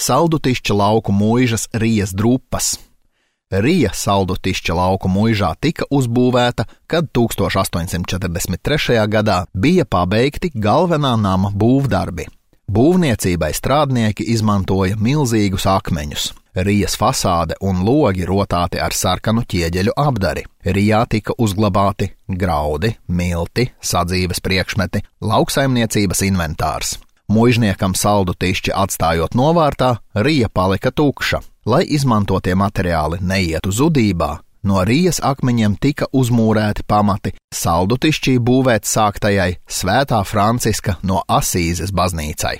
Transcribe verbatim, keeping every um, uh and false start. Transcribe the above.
Saldutišķa lauku muižas Rijas drupas. Rija Saldutišķa lauku muižā tika uzbūvēta, kad tūkstoš astoņsimt četrdesmit trešajā gadā bija pabeigti galvenā nama būvdarbi. Būvniecībai strādnieki izmantoja milzīgus akmeņus. Rijas fasāde un logi rotāti ar sarkanu ķieģeļu apdari. Rijā tika uzglabāti graudi, milti, sadzīves priekšmeti, lauksaimniecības inventārs. Muižniekam Saldutišķi atstājot novārtā, Rija palika tukša. Lai izmantotie materiāli neietu zudībā, no Rijas akmeņiem tika uzmūrēti pamati Saldutišķī būvēt sāktajai Svētā Franciska no Asīzes baznīcai.